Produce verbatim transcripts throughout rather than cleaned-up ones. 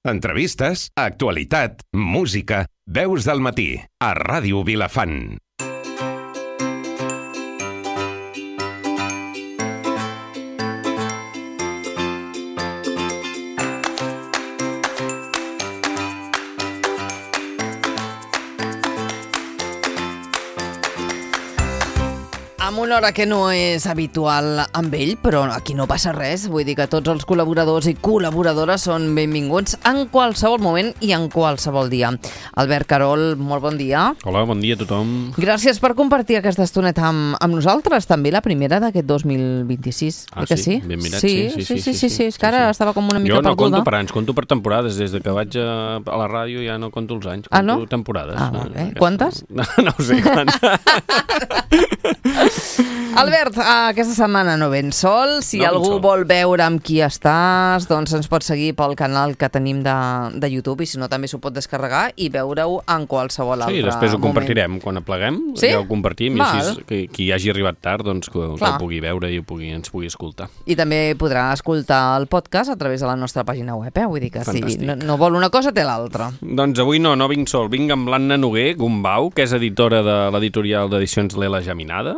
Entrevistes, actualitat, música, veus del matí, a Ràdio Vilafant. Amb una hora que no és habitual amb ell, però aquí no passa res. Vull dir que tots els col·laboradors i col·laboradores són benvinguts en qualsevol moment i en qualsevol dia. Albert Carol, molt bon dia. Hola, bon dia a tothom. Gràcies per compartir aquesta estoneta amb, amb nosaltres, també la primera d'aquest dos mil vint-i-sis. Ah, que sí? sí? Ben mirat, sí, sí, sí, sí, sí, sí, és que ara estava com una mica perduda. Jo no perduda. conto per anys, conto per temporades. Des de que vaig a, a la ràdio ja no conto els anys, conto ah, no? temporades. Ah, va bé. Quantes? No, no ho sé, quantes. Albert, aquesta setmana no vens sol. Si no algú sol. vol veure amb qui estàs, doncs ens pot seguir pel canal que tenim de, de YouTube, i si no també s'ho pot descarregar i veure-ho en qualsevol altre moment. Sí, després ho compartirem. Quan apleguem, sí? ja ho compartim. Val. I així que qui hagi arribat tard doncs, que, que ho pugui veure i ho pugui, ens pugui escoltar. I també podrà escoltar el podcast a través de la nostra pàgina web. Eh? Vull dir que Fantàstic. si no, no vol una cosa, té l'altra. Doncs avui no, no vinc sol. Vinc amb l'Anna Noguer Gumbau, que és editora de l'editorial d'edicions L'Ela Geminada.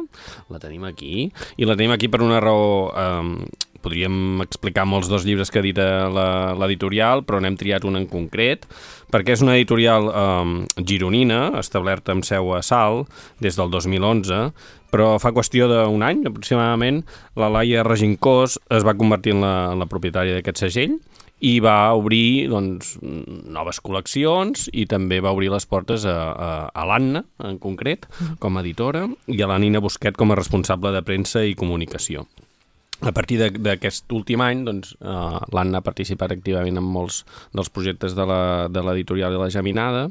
La tenim aquí. I la tenim aquí per una raó... Eh, podríem explicar molts dos llibres que edita l'editorial, però n'hem triat un en concret, perquè és una editorial eh, gironina, establerta amb seu a Salt, des del dos mil onze, però fa qüestió d'un any, aproximadament, la Laia Regincós es va convertir en la, en la propietària d'aquest segell, i va obrir doncs, noves col·leccions i també va obrir les portes a, a, a l'Anna, en concret, com a editora, i a la Nina Busquet com a responsable de premsa i comunicació. A partir d'aquest últim any, doncs, eh, l'Anna ha participat activament en molts dels projectes de l'editorial de la Geminada,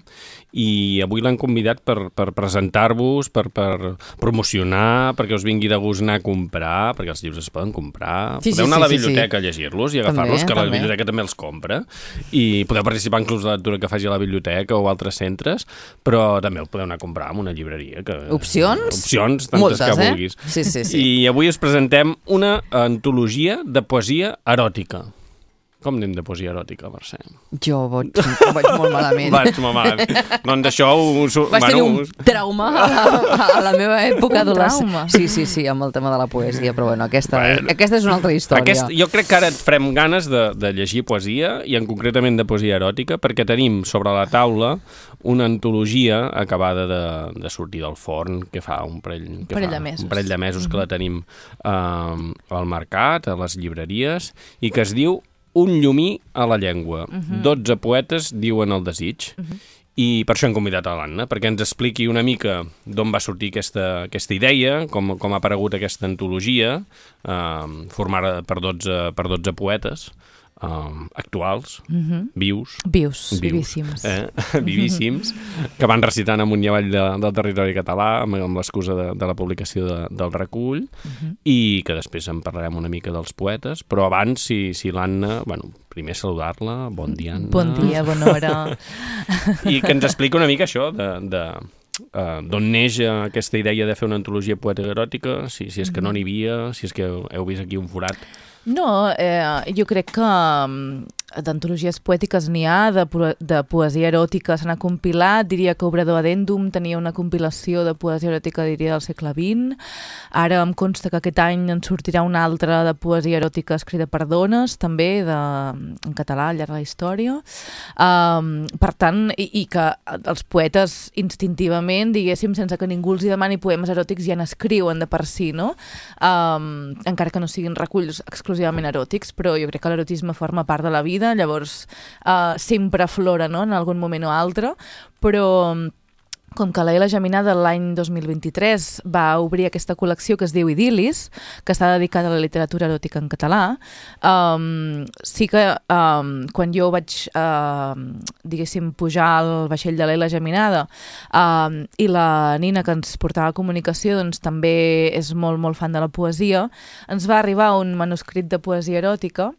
i avui l'han convidat per, per presentar-vos, per, per promocionar, perquè us vingui de gust anar a comprar, perquè els llibres es poden comprar. Sí, sí, podeu anar sí, a la biblioteca sí. a llegir-los i agafar-los, que també. la biblioteca també els compra, i podeu participar en clubs de lectura que faci a la biblioteca o altres centres, però també el podeu anar a comprar en una llibreria. Que, opcions? Opcions, tantes moltes, que eh? vulguis. Sí, sí, sí. I avui us presentem una antologia de poesia eròtica. Com anem de poesia eròtica, Mercè? Jo vaig, vaig molt malament. Vaig molt malament. Doncs això... Us, Vaig bueno, tenir un trauma a la, a la meva època adolescent. trauma? Sí, sí, sí, amb el tema de la poesia, però bueno, aquesta, Bueno. aquesta és una altra història. Aquest, jo crec que ara et farem ganes de, de llegir poesia, i en concretament de poesia eròtica, perquè tenim sobre la taula una antologia acabada de, de sortir del forn, que fa un parell, que parell fa, de mesos. un parell de mesos mm-hmm. que la tenim eh, al mercat, a les llibreries, i que es diu Un llumí a la llengua. Mm-hmm. dotze poetes diuen el desig. Mm-hmm. I per això hem convidat a l'Anna, perquè ens expliqui una mica d'on va sortir aquesta, aquesta idea, com, com ha aparegut aquesta antologia, eh, formada per dotze, per dotze poetes, Uh, actuals, Mm-hmm. vius, Vius, vius vivíssims. eh? vivíssims, que van recitant amunt i avall de, del territori català amb, amb l'excusa de, de la publicació de, del recull, Mm-hmm. i que després en parlarem una mica dels poetes, però abans, si, si l'Anna, bueno, primer saludar-la, bon dia, Anna. Bon dia, bona hora. I que ens explica una mica això de... de Uh, d'on neix uh, aquesta idea de fer una antologia poètica eròtica, si, si és que no n'hi havia, si és que heu, heu vist aquí un forat. No, eh, jo crec que um, d'antologies poètiques n'hi ha, de, de poesia eròtica se n'ha compilat, diria que Obrador Addendum tenia una compilació de poesia eròtica, diria, del segle vint. Ara em consta que aquest any en sortirà una altra de poesia eròtica escrita per dones, també, de, en català, al llarg de la història. Um, per tant, i, i que els poetes instintivament, diguéssim, sense que ningú els hi demani poemes eròtics, ja n'escriuen de per si, no? Um, encara que no siguin reculls exclusivament eròtics, però jo crec que l'erotisme forma part de la vida, llavors uh, sempre aflora, no?, en algun moment o altre, però com que l'Ela Geminada l'any dos mil vint-i-tres va obrir aquesta col·lecció que es diu Idil·lis, que està dedicada a la literatura eròtica en català, um, sí que um, quan jo vaig, uh, diguéssim, pujar al vaixell de l'Ela Geminada, um, i la Nina, que ens portava comunicació, doncs també és molt, molt fan de la poesia, ens va arribar un manuscrit de poesia eròtica,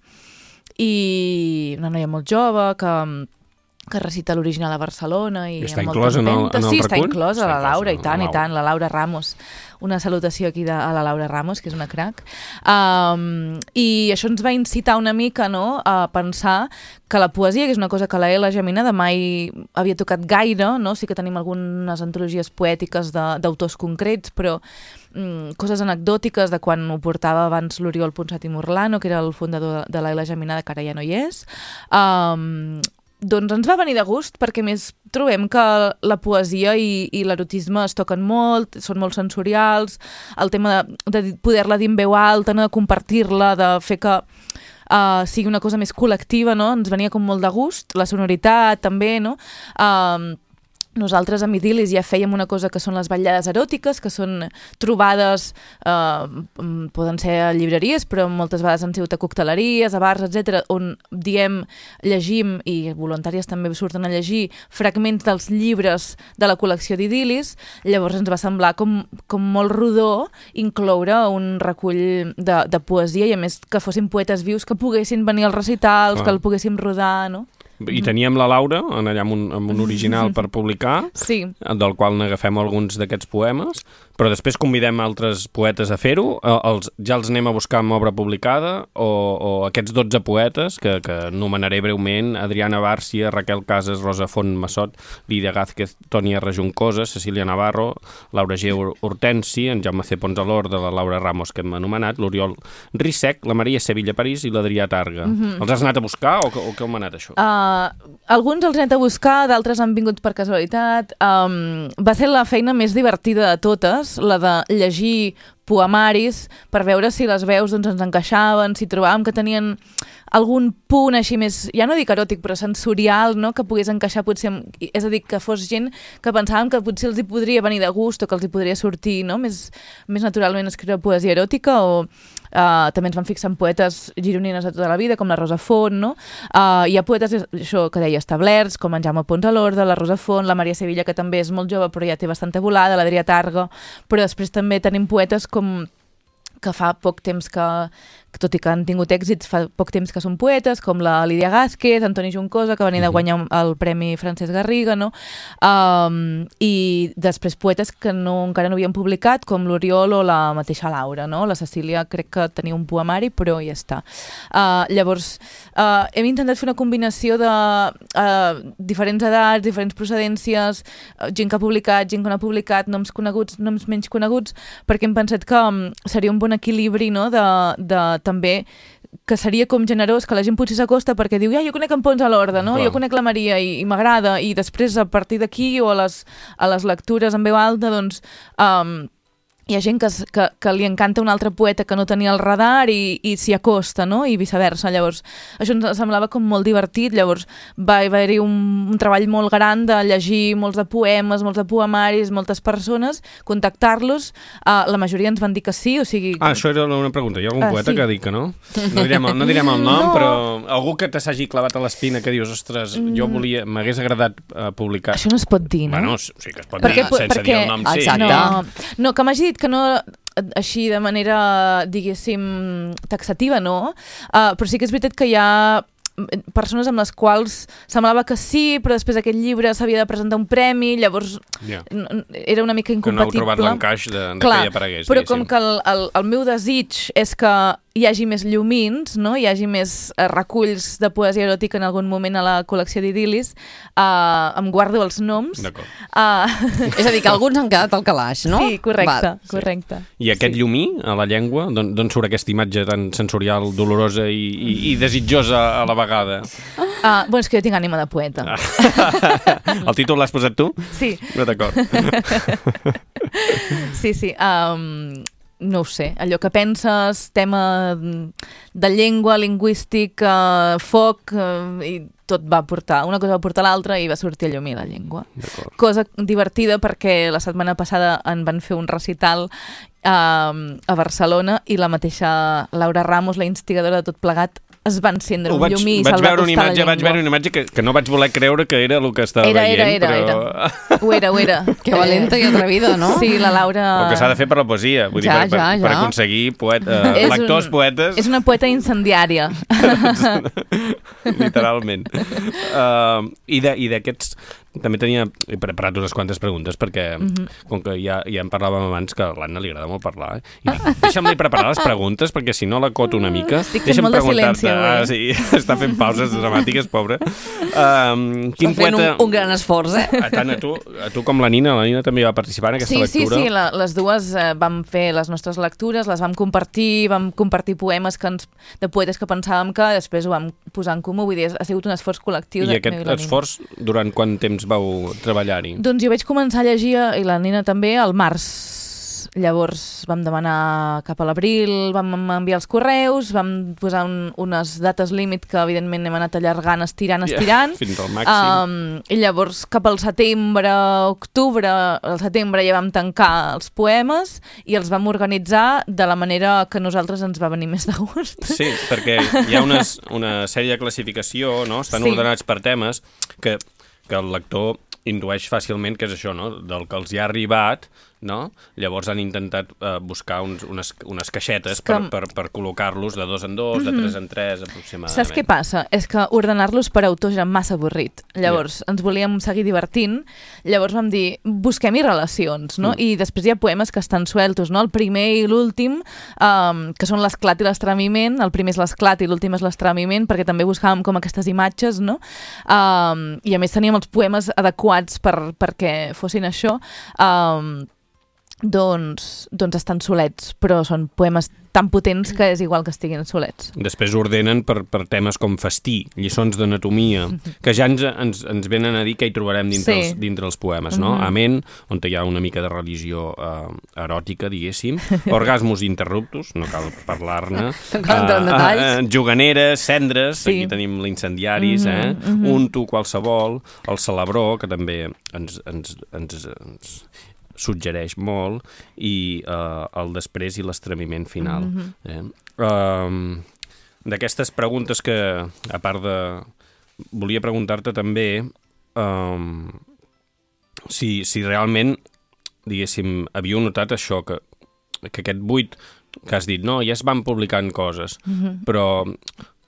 i una noia molt jove que que recita l'original a Barcelona i, I està amb inclòs en el, en el sí, recull? està inclòs a la Laura, i tant, la i tant, la Laura Ramos. Una salutació aquí de, a la Laura Ramos, que és una crac. Um, I això ens va incitar una mica, no?, a pensar que la poesia, que és una cosa que la Ela Geminada mai havia tocat gaire, no? Sí que tenim algunes antologies poètiques d'autors concrets, però mm, coses anecdòtiques de quan ho portava abans l'Oriol Ponsat i Morlano, que era el fundador de la Ela Geminada, que ara ja no hi és. Um, doncs ens va venir de gust, perquè més trobem que la poesia i, i l'erotisme es toquen molt, són molt sensorials, el tema de, de poder-la dir en veu alta, no? De compartir-la, de fer que uh, sigui una cosa més col·lectiva, no? Ens venia com molt de gust, la sonoritat també, no? Uh, Nosaltres a Idil·lis ja fèiem una cosa que són les vetllades eròtiques, que són trobades, eh, poden ser a llibreries, però moltes vegades han sigut a cocteleries, a bars, etcètera, on diem, llegim, i voluntàries també surten a llegir, fragments dels llibres de la col·lecció d'Idil·lis. Llavors ens va semblar com, com molt rodó incloure un recull de, de poesia, i a més que fossin poetes vius que poguessin venir als recitals, ah. que el poguéssim rodar, no? I teníem la Laura allà amb un, amb un original per publicar, sí. del qual n'agafem alguns d'aquests poemes, però després convidem altres poetes a fer-ho, els, ja els anem a buscar amb obra publicada, o, o aquests dotze poetes, que, que anomenaré breument: Adriana Bárcia, Raquel Casas, Rosa Font Massot, Lídia Gázquez, Tònia Rajuncosa, Cecília Navarro, Laura G. Hortensi, en Jaume C. Ponsalor, de la Laura Ramos, que hem anomenat, l'Oriol Rissec, la Maria Sevilla París i l'Adrià Targa. Mm-hmm. Els has anat a buscar o, o com ha anat això? Uh, alguns els he anat a buscar, d'altres han vingut per casualitat. Um, va ser la feina més divertida de totes, la de llegir poemaris per veure si les veus doncs, ens encaixaven, si trobàvem que tenien algun punt així més, ja no dic eròtic, però sensorial, no?, que pogués encaixar potser, amb, és a dir, que fos gent que pensàvem que potser els hi podria venir de gust o que els hi podria sortir, no?, més, més naturalment escriure poesia eròtica. O uh, també ens vam fixar en poetes gironines de tota la vida, com la Rosa Font, no? Uh, hi ha poetes, això que deia, establerts, com en Jaume Ponsalor, la Rosa Font, la Maria Sevilla, que també és molt jove però ja té bastanta volada, l'Adrià Targa, però després també tenim poetes com que fa poc temps que, que, tot i que han tingut èxits, fa poc temps que són poetes, com la Lídia Gázquez, Antoni Juncosa, que venia de guanyar el Premi Francesc Garriga, no? Um, I després poetes que no, encara no havien publicat, com l'Oriol o la mateixa Laura, no? La Cecília crec que tenia un poemari, però ja està. Uh, llavors, uh, hem intentat fer una combinació de uh, diferents edats, diferents procedències, uh, gent que ha publicat, gent que no ha publicat, noms coneguts, noms menys coneguts, perquè hem pensat que um, seria un bon equilibri, no?, de, de també que seria com generós, que la gent potser s'acosta perquè diu, ja, jo conec en Pons a l'Orde, no? Jo conec la Maria i, i m'agrada, i després a partir d'aquí o a les, a les lectures en veu alta, doncs um, hi ha gent que, que, que li encanta un altre poeta que no tenia el radar i, i s'hi acosta, no? I viceversa. Llavors, això ens semblava com molt divertit. Llavors va haver-hi un, un treball molt gran de llegir molts de poemes, molts de poemaris, moltes persones, contactar-los. Uh, la majoria ens van dir que sí, o sigui... Ah, això era una pregunta. Hi ha algun uh, poeta sí. que ha dit que no? No direm, no direm el nom, no. Però algú que te s'hagi clavat a l'espina que dius, ostres, jo volia, m'hagués agradat uh, publicar... Això no es pot dir, no? Bueno, sí que es pot perquè, dir, sense perquè... dir el nom, sí. Exacte. No, no, que m'hagi dit que no, així de manera, diguéssim, taxativa, no, uh, però sí que és veritat que hi ha persones amb les quals semblava que sí, però després aquest llibre s'havia de presentar un premi, llavors yeah. era una mica incompatible. Que no heu trobat l'encaix de, de Clar, que hi aparegués. Però diguéssim. Com que el, el, el meu desig és que hi hagi més llumins, no? Hi hagi més eh, reculls de poesia eròtica en algun moment a la col·lecció d'Idil·lis, uh, em guardo els noms. D'acord. Uh, és a dir, que alguns han quedat al calaix, no? Sí, correcte, Val. correcte. I aquest sí. llumí a la llengua, d'on surt aquesta imatge tan sensorial, dolorosa i, i, i desitjosa a la vegada? Uh, bueno, és que jo tinc ànima de poeta. El títol l'has posat tu? Sí. No, d'acord. Sí, sí. Um, no ho sé. Allò que penses, tema de llengua, lingüístic, uh, foc, uh, i tot va portar, una cosa va portar l'altra i va sortir a llumí la llengua. Cosa divertida perquè la setmana passada en van fer un recital uh, a Barcelona i la mateixa Laura Ramos, la instigadora de tot plegat, es va encendre un vaig, llumí i vaig se'l va veure una acostar imatge, la llengua. Vaig veure una imatge que, que no vaig voler creure que era el que estava era, veient, era, era, però... Era. Ho era, ho era. Que valenta i atrevida, no? Sí, la Laura... El que s'ha de fer per la poesia, vull Ja, dir, per, ja, per, per ja. aconseguir poeta, uh, És lectors, un- poetes... És una poeta incendiària. Literalment. Uh, I de- i d'aquests... També tenia he preparat unes quantes preguntes perquè, mm -hmm. com que ja, ja en parlàvem abans, que a l'Anna li agrada molt parlar, eh? I dic, deixa'm-li preparar les preguntes perquè si no la coto una mica. Estic fent Deixa'm molt de preguntar-te- silenci avui. Ah, sí, està fent pauses dramàtiques, pobre. Um, quin Està fent poeta... un, un gran esforç, eh? A tant a tu, a tu com la Nina, la Nina també va participar en aquesta Sí, sí, lectura. sí, la, les dues eh, vam fer les nostres lectures, les vam compartir, vam compartir poemes que ens, de poetes que pensàvem que després ho vam posar en comú, vull dir, ha sigut un esforç col·lectiu. I de aquest meu la Nina. esforç, durant quant temps vau treballar-hi? Doncs jo vaig començar a llegir, i la Nina també, al març. Llavors vam demanar cap a l'abril, vam enviar els correus, vam posar un, unes dates límit que evidentment hem anat allargant, estirant, estirant. Yeah, fins al màxim. Um, I llavors cap al setembre, octubre, al setembre ja vam tancar els poemes i els vam organitzar de la manera que a nosaltres ens va venir més de gust. Sí, perquè hi ha unes, una sèrie de classificació, no? Estan Sí. ordenats per temes que, que el lector intueix fàcilment que és això, no? Del que els hi ha arribat, no? Llavors han intentat uh, buscar uns, unes, unes caixetes que... per, per, per col·locar-los de dos en dos, mm-hmm. de tres en tres, aproximadament. Saps què passa? És que ordenar-los per autors era massa avorrit. Llavors, yeah. ens volíem seguir divertint, llavors vam dir, busquem-hi relacions, no? Mm. I després hi ha poemes que estan sueltos, no? El primer i l'últim, um, que són l'esclat i l'estremiment, el primer és l'esclat i l'últim és l'estremiment, perquè també buscàvem com aquestes imatges, no? Um, I a més teníem els poemes adequats per, perquè fossin això. Um, doncs, doncs estan solets, però són poemes tan potents que és igual que estiguin solets. Després ordenen per, per temes com festí, lliçons d'anatomia, que ja ens, ens, ens venen a dir que hi trobarem dintre, Sí. els, dintre els poemes, no? Mm-hmm. Amén, on hi ha una mica de religió eh, eròtica, diguéssim, orgasmos interruptus, no cal parlar-ne, No cal entrar en detalls. juganeres, cendres, Sí. aquí tenim l'incendiaris, eh? Mm-hmm, un tu qualsevol, el celebró, que també ens, ens, ens, ens suggereix molt, i eh, el després i l'estremiment final. Mm-hmm. eh? um, D'aquestes preguntes que, a part de... Volia preguntar-te també um, si, si realment, diguéssim, havíeu notat això, que, que aquest buit que has dit, no, ja es van publicant coses, mm-hmm. però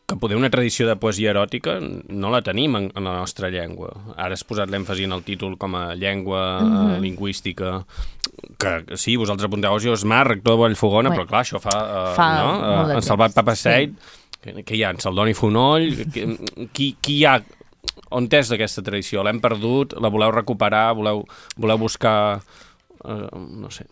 que poder una tradició de poesia eròtica no la tenim en, en la nostra llengua. Ara has posat l'èmfasi en el títol com a llengua mm-hmm. uh, lingüística, que sí, vosaltres apunteu Osi Osmar, rector de Vallfogona, Bé, però clar, això fa... Uh, fa no? molt de uh, en temps. Salvat Papaseit, sí. que, que hi ha? En Saldoni Fonoll? Que, qui, qui hi ha? On és d'aquesta tradició? L'hem perdut? La voleu recuperar? Voleu, voleu buscar... Uh, no sé...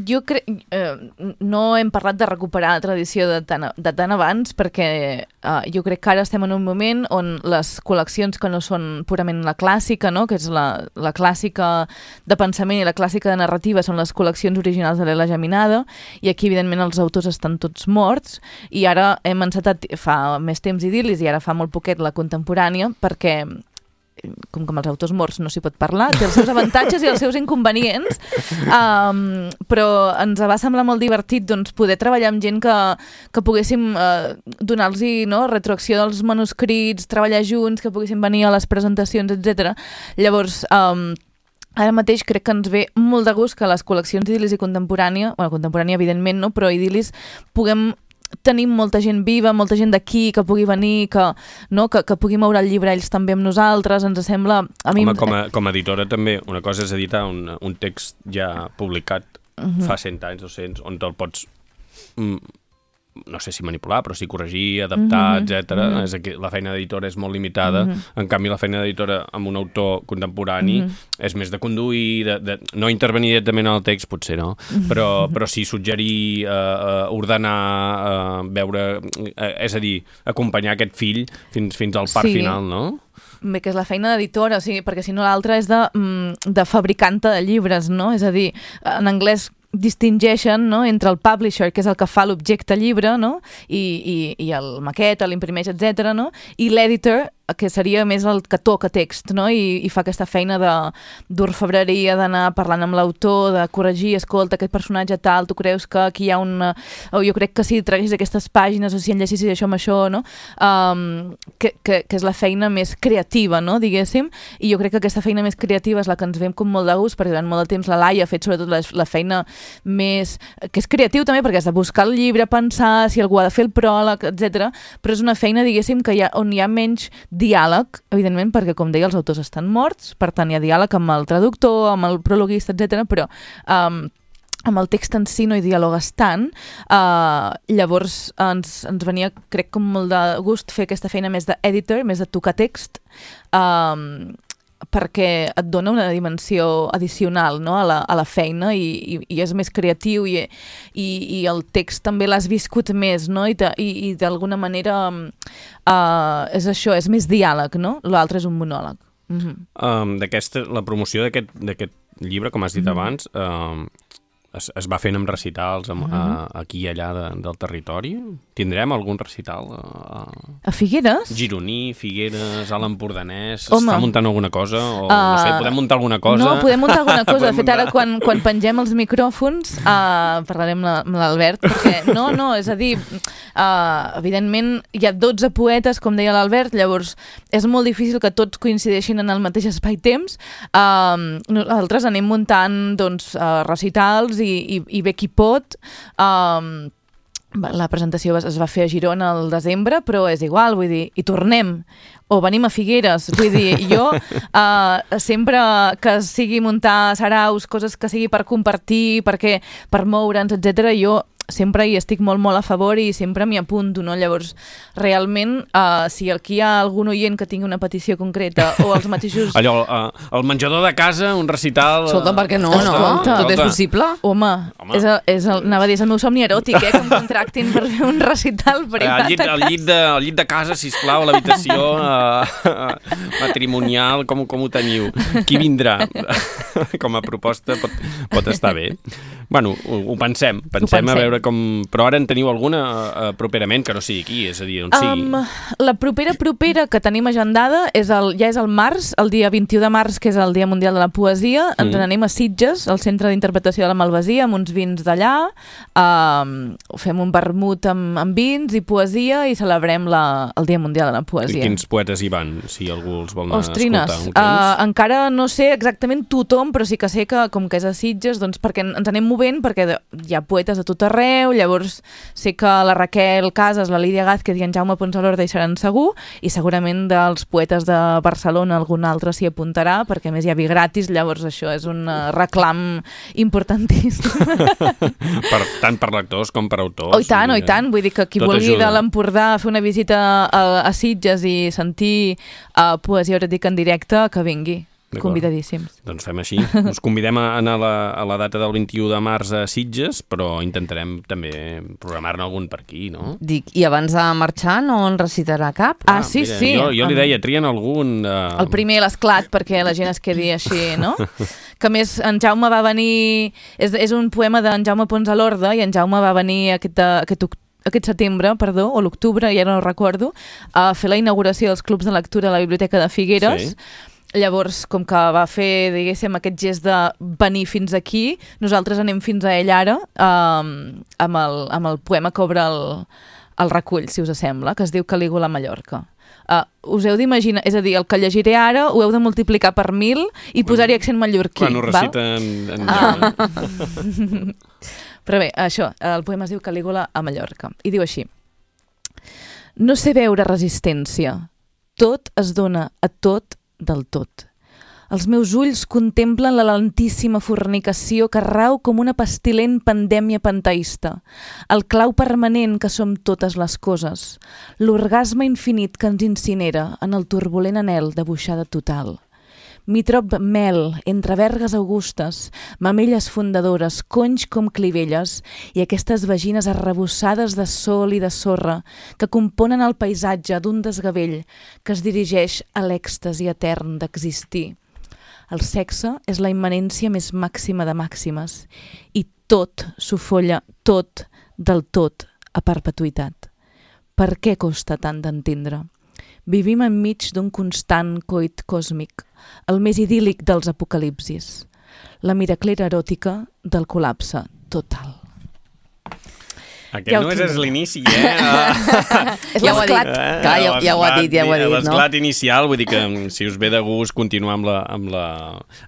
Jo crec... Eh, no hem parlat de recuperar la tradició de tan, de tan abans perquè eh, jo crec que ara estem en un moment on les col·leccions que no són purament la clàssica, no? Que és la, la clàssica de pensament i la clàssica de narrativa són les col·leccions originals de l'Ela Geminada, i aquí evidentment els autors estan tots morts, i ara hem encetat fa més temps idil·lis i ara fa molt poquet la contemporània, perquè com que amb els autors morts no s'hi pot parlar, té els seus avantatges i els seus inconvenients, um, però ens va semblar molt divertit doncs, poder treballar amb gent que, que poguéssim uh, donar-los no, retroacció dels manuscrits, treballar junts, que poguéssim venir a les presentacions, etcètera. Llavors, um, ara mateix crec que ens ve molt de gust que les col·leccions d'idil·lis i contemporània, bueno, contemporània evidentment no, però idil·lis puguem tenim molta gent viva, molta gent d'aquí que pugui venir, que, no, que, que pugui moure el llibre ells també amb nosaltres, ens sembla... A mi... Home, com a, com a editora també, una cosa és editar un, un text ja publicat uh-huh. fa cent anys, dos-cents, on te'l pots... Mm, no sé si manipular, però sí corregir, adaptar, uh-huh. etcètera. Uh-huh. És aquí, la feina d'editora és molt limitada. Uh-huh. En canvi, la feina d'editora amb un autor contemporani uh-huh. és més de conduir, de, de no intervenir directament en el text, potser no, uh-huh. però, però sí suggerir, uh, uh, ordenar, uh, veure... Uh, és a dir, acompanyar aquest fill fins, fins al part sí. final, no? Bé, que és la feina d'editora, o sigui, perquè si no l'altra és de, de fabricanta de llibres, no? És a dir, en anglès distingeixen no, entre el publisher, que és el que fa l'objecte llibre, no? I, i, i el maqueta, l'imprimeix, etcètera, no? I l'editor que seria més el que toca text, no? I, i fa aquesta feina d'orfebreria, d'anar parlant amb l'autor, de corregir, escolta, aquest personatge tal, tu creus que aquí hi ha un... o jo crec que si traguis aquestes pàgines o si enllacissis això amb això, no? Um, que, que, que és la feina més creativa, no? Diguéssim, i jo crec que aquesta feina més creativa és la que ens veiem com molt de gust, perquè durant molt de temps la Laia ha fet sobretot la, la feina més... que és creatiu també, perquè has de buscar el llibre, pensar si algú ha de fer el pròleg, etcètera. Però és una feina, diguéssim, que hi ha, on hi ha menys diàleg, evidentment, perquè, com deia, els autors estan morts, per tant, hi ha diàleg amb el traductor, amb el prologuista, etcètera, però um, amb el text en si no hi dialogues tant. Uh, llavors ens, ens venia, crec, com molt de gust fer aquesta feina més d'editor, més de tocar text, um, perquè et dona una dimensió addicional, no? a, la, a la feina i, i, i és més creatiu i, i, i el text també l'has viscut més, no? I, i, i d'alguna manera uh, és això, és més diàleg, no? L'altre és un monòleg. Mm-hmm. um, d'aquesta, la promoció d'aquest llibre, com has dit mm-hmm. abans, um, es, es va fent amb recitals amb, mm-hmm. a, aquí i allà de, del territori. Tindrem algun recital a, a Figueres? Gironí, Figueres, a l'Empordanès. Home. S'està muntant alguna cosa? O, uh, no sé, podem muntar alguna cosa? No, podem muntar alguna cosa. De fet, ara quan, quan pengem els micròfons uh, parlarem amb l'Albert, perquè no, no, és a dir, uh, evidentment hi ha dotze poetes, com deia l'Albert, llavors és molt difícil que tots coincideixin en el mateix espai-temps. Uh, nosaltres anem muntant doncs, uh, recitals i, i, i bé qui pot. Uh, La presentació es va fer a Girona al desembre, però és igual, vull dir, i tornem, o venim a Figueres, vull dir, jo uh, sempre que sigui muntar saraus, coses que sigui per compartir, perquè per moure'ns, etcètera, jo sempre hi estic molt, molt a favor i sempre m'hi apunto, no? Llavors, realment, uh, si aquí hi ha algun oient que tingui una petició concreta o els mateixos... Allò, uh, el menjador de casa, un recital... Escolta, per què no, no? Escolta. Tot és possible. Home, Home. És el, és el, anava a dir, és el meu somni eròtic, eh, que em contractin per fer un recital privat. El llit, el llit, de, el llit de casa, sisplau, a l'habitació uh, matrimonial, com, com ho teniu? Qui vindrà? Com a proposta pot, pot estar bé. Bueno, ho, ho pensem, pensem, ho pensem a veure com... Però ara en teniu alguna uh, properament que no sigui aquí, és a dir, on sigui? Um, la propera propera que tenim agendada és el, ja és el març, el dia vint-i-u de març, que és el Dia Mundial de la Poesia. Ens mm. n'anem a Sitges, al Centre d'Interpretació de la Malvasia, amb uns vins d'allà. Um, fem un vermut amb, amb vins i poesia i celebrem la, el Dia Mundial de la Poesia. I quins poetes hi van, si algú els vol anar Ostrines, a escoltar? Uh, encara no sé exactament tothom, però sí que sé que, com que és a Sitges, doncs perquè ens anem movent, perquè hi ha poetes a tot arreu. Llavors sé que la Raquel Casas, la Lídia Gázquez i en Jaume Ponsalorda hi seran segur, i segurament dels poetes de Barcelona algun altre s'hi apuntarà, perquè a més hi ha vi gratis, llavors això és un reclam importantíssim. Per, tant per lectors com per autors. Oh, i tant, oh, i tant. Vull dir que qui Tot vulgui ajuda. de l'Empordà fer una visita a, a Sitges i sentir uh, poesia eròtica en directe, que vingui. Convidadíssims. Doncs fem així. Us convidem a anar a la, a la data del vint-i-u de març a Sitges, però intentarem també programar-ne algun per aquí, no? Dic, i abans de marxar no en recitarà cap? Ah, sí, mira, sí. Jo, jo li deia, trien algun... Uh... El primer, l'esclat, perquè la gent es quedi així, no? Que més, en Jaume va venir... És, és un poema d'en Jaume Ponsalorda, i en Jaume va venir aquest, aquest octubre, aquest setembre, perdó, o l'octubre, ja no ho recordo, a fer la inauguració dels clubs de lectura a la Biblioteca de Figueres. Sí. Llavors, com que va fer, diguéssim, aquest gest de venir fins aquí, nosaltres anem fins a ell ara, um, amb, el, amb el poema que obre el, el recull, si us sembla, que es diu Calígula a Mallorca. Uh, us heu d'imaginar, és a dir, el que llegiré ara ho heu de multiplicar per mil i posar-hi accent mallorquí. Quan ho recita en, en ah. Però bé, això, el poema es diu Calígula a Mallorca, i diu així: no sé veure resistència, tot es dona a tot del tot. Els meus ulls contemplen la lentíssima fornicació que rau com una pestilent pandèmia panteista, el clau permanent que som totes les coses, l'orgasme infinit que ens incinera en el turbulent anhel de buixada total. M'hi trob mel, entre vergues augustes, mamelles fundadores, conys com clivelles i aquestes vagines arrebossades de sol i de sorra que componen el paisatge d'un desgavell que es dirigeix a l'èxtasi etern d'existir. El sexe és la immanència més màxima de màximes i tot s'ho folla tot del tot a perpetuïtat. Per què costa tant d'entendre? Vivim enmig d'un constant coit còsmic, el més idíl·lic dels apocalipsis, la miraclera eròtica del col·lapse total. Aquest ja no és l'inici, eh? És ja ho ha dit. Eh? Clar, ja, ja ho ha dit, ja ho ha dit, no? L'esclat inicial, vull dir que si us ve de gust continuar amb la, amb la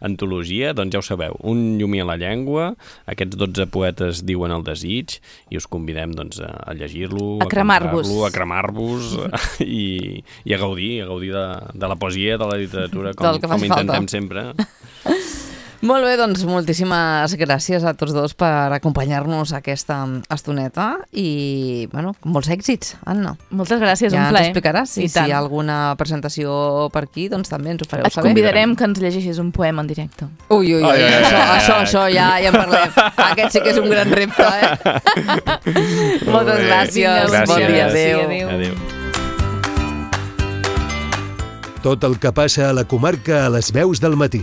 antologia, doncs ja ho sabeu. Un llumí a la llengua, aquests dotze poetes diuen el desig, i us convidem doncs, a llegir-lo, a cremar-vos, a cremar-vos i, i a gaudir, a gaudir de, de la poesia, de la literatura, com, com intentem falta. sempre. Molt bé, doncs moltíssimes gràcies a tots dos per acompanyar-nos aquesta estoneta i, bueno, molts èxits, Anna. Moltes gràcies, ja un plaer. Ja ens explicaràs si, si hi ha alguna presentació per aquí, doncs també ens ho fareu Et saber. Et convidarem que ens llegeixis un poema en directe. Ui, ui, ui, ai, ai, això, ai, això, ai. això, ja, ja en parlem. Aquest sí que és un gran repte, eh? Moltes gràcies. gràcies. Bon dia, adéu. adéu. adéu. Tot el que passa a la comarca a les veus del matí.